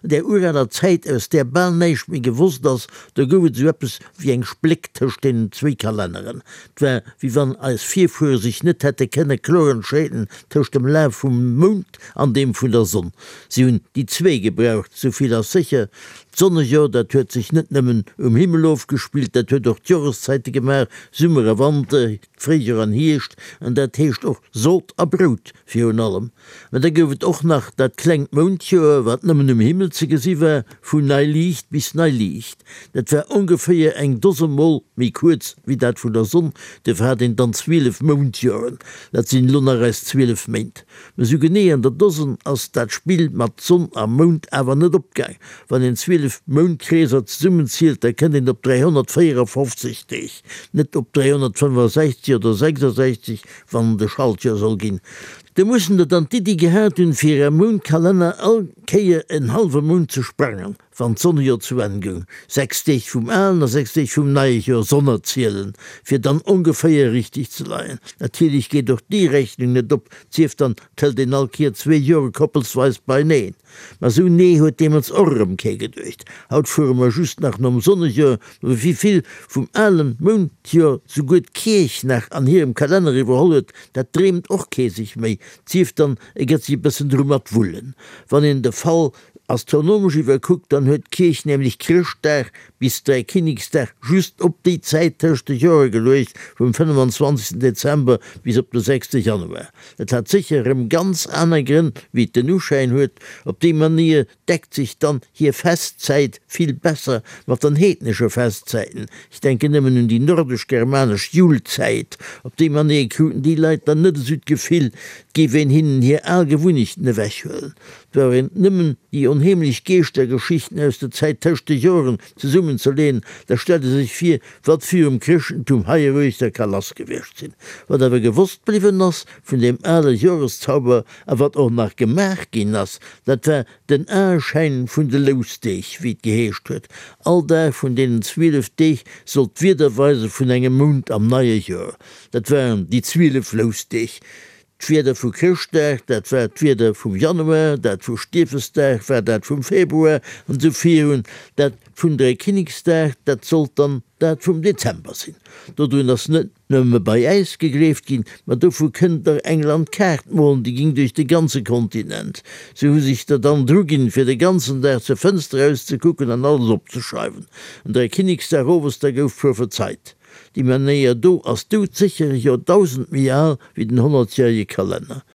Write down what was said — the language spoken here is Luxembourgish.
An där uraler Zäit, aus där bal näischt méi gewosst ass, do gouf et esou eppes wéi eng Spléck tëscht deenen zwéi Kalenneren. 't war, wéi wann eis Virfuere sech net hätte kënne kloer entscheeden tëscht dem Laf vum Mound an deem vun der Sonn. Si hunn déi zwee gebraucht, souvill ass sécher. D'Sonnejoer, dat huet sech net nëmmen um Himmel ofgespillt, dat huet och d'Joreszäite gemaach, Summer a Wanter, Fréijoer an Hierscht, an dat heescht och Sot a Brout virun allem. Mä da gouf et och nach dat klengt Moundjoer, wat nëmmen um Himmel ze gesi war, vun nei Liicht bis nei Liicht. Dat war ongeféier eng Dose Mol méi kuerz wéi dat vun der Sonn, duerfir hat een dann 12 Moundjoeren. Dat sinn elo nach eis 12 Méint. Mä sou genee an der Dosen ass dat Spill mat Sonn a Mound awer net opgaang. Wann een 12 Moundkreeser zesummenzielt, da kënnt een op 354 Deeg, net op 365 oder 66, wann et e Schaltjoer soll ginn. Do mussen der dann d'Iddi gehat hunn, fir am Moundkalenner all Kéier en hallwe Mount ze sprangen, wann d'Sonnejoer zu Enn goung, 6 Deeg vum alen a 6 Deeg vum neie Joer sonnerzielen, fir dann ongeféier richteg ze leien. Natierlech geet och déi Rechnung net op, 't sief dann, 't hëlt een all Kéier zwee Jore koppelsweis beineen. Ma sou nee huet deemools och erëm kee geduecht. Haut fuere mer just nach nom Sonnejoer, ma wéi vill vum alen Moundjoer souguer d'Kierch nach an hirem Kalenner iwwerholl huet, dat dreemt och kee sech méi, 't sief dann e gëtt sech e bëssen dru mat wullen. Wann een de Fall astronomesch iwwerkuckt, dann huet d'Kierch nämlech Chrëschtdag bis Dräikinneksdag just op déi Zäit tëscht de Jore geluecht, vum 25 Dezember bis op de 6 Januar. Et hat sécher erëm ganz aner Grënn wéi et den Uschäin huet. Op déi Manier deckt sech dann hir Festzäit vill besser mat den heednesche Festzäiten. Ech denken nëmmen un déi nordesch-germanesch Julzäit. Op déi Manier kruten déi Leit dann net esou d'Gefill, et géif een hinnen hir al Gewunnechten ewechhuelen. Et brauch een nëmmen déi onheemlech Geeschtergeschichten aus der Zäit tëscht de Joren zesummenzeleen, da stellt e sech vir, wat virum Chrëschtentum heieruechter ka lass gewiescht sinn. Wat awer gewosst bliwwen ass vun deem ale Joreszauber a wat och nach gemaach ginn ass, dat war den Aeschäin vun de Lousdeeg, wéi et geheescht huet. All Dag vun deenen 12 Deeg sollt d'Wieder weise vun engem Mount am neie Joer. Dat waren déi 12 Lousdeeg. D'Wieder vu Chrëschtdag, dat war d'Wieder vum Januar, dat vu Stiefesdag war dat vum Februar, an esou virun. Dat vun Dräikinneksdag, dat sollt dann dat vum Dezember sinn. Dodrun ass net nëmme bei äis gegleeft ginn, ma dovu kënnt der eng Landkaart molen, déi ging duerch de ganze Kontinent. Sou hu sech der dann druginn, fir de ganzen Dag zur Fënster erauszekucken an alles opzeschreiwen. An Dräikinneksdag owes, da gouf prophezeit. Déi Manéier do ass doudsécher Joerdausend méi al wéi den honnertjärege Kalenner.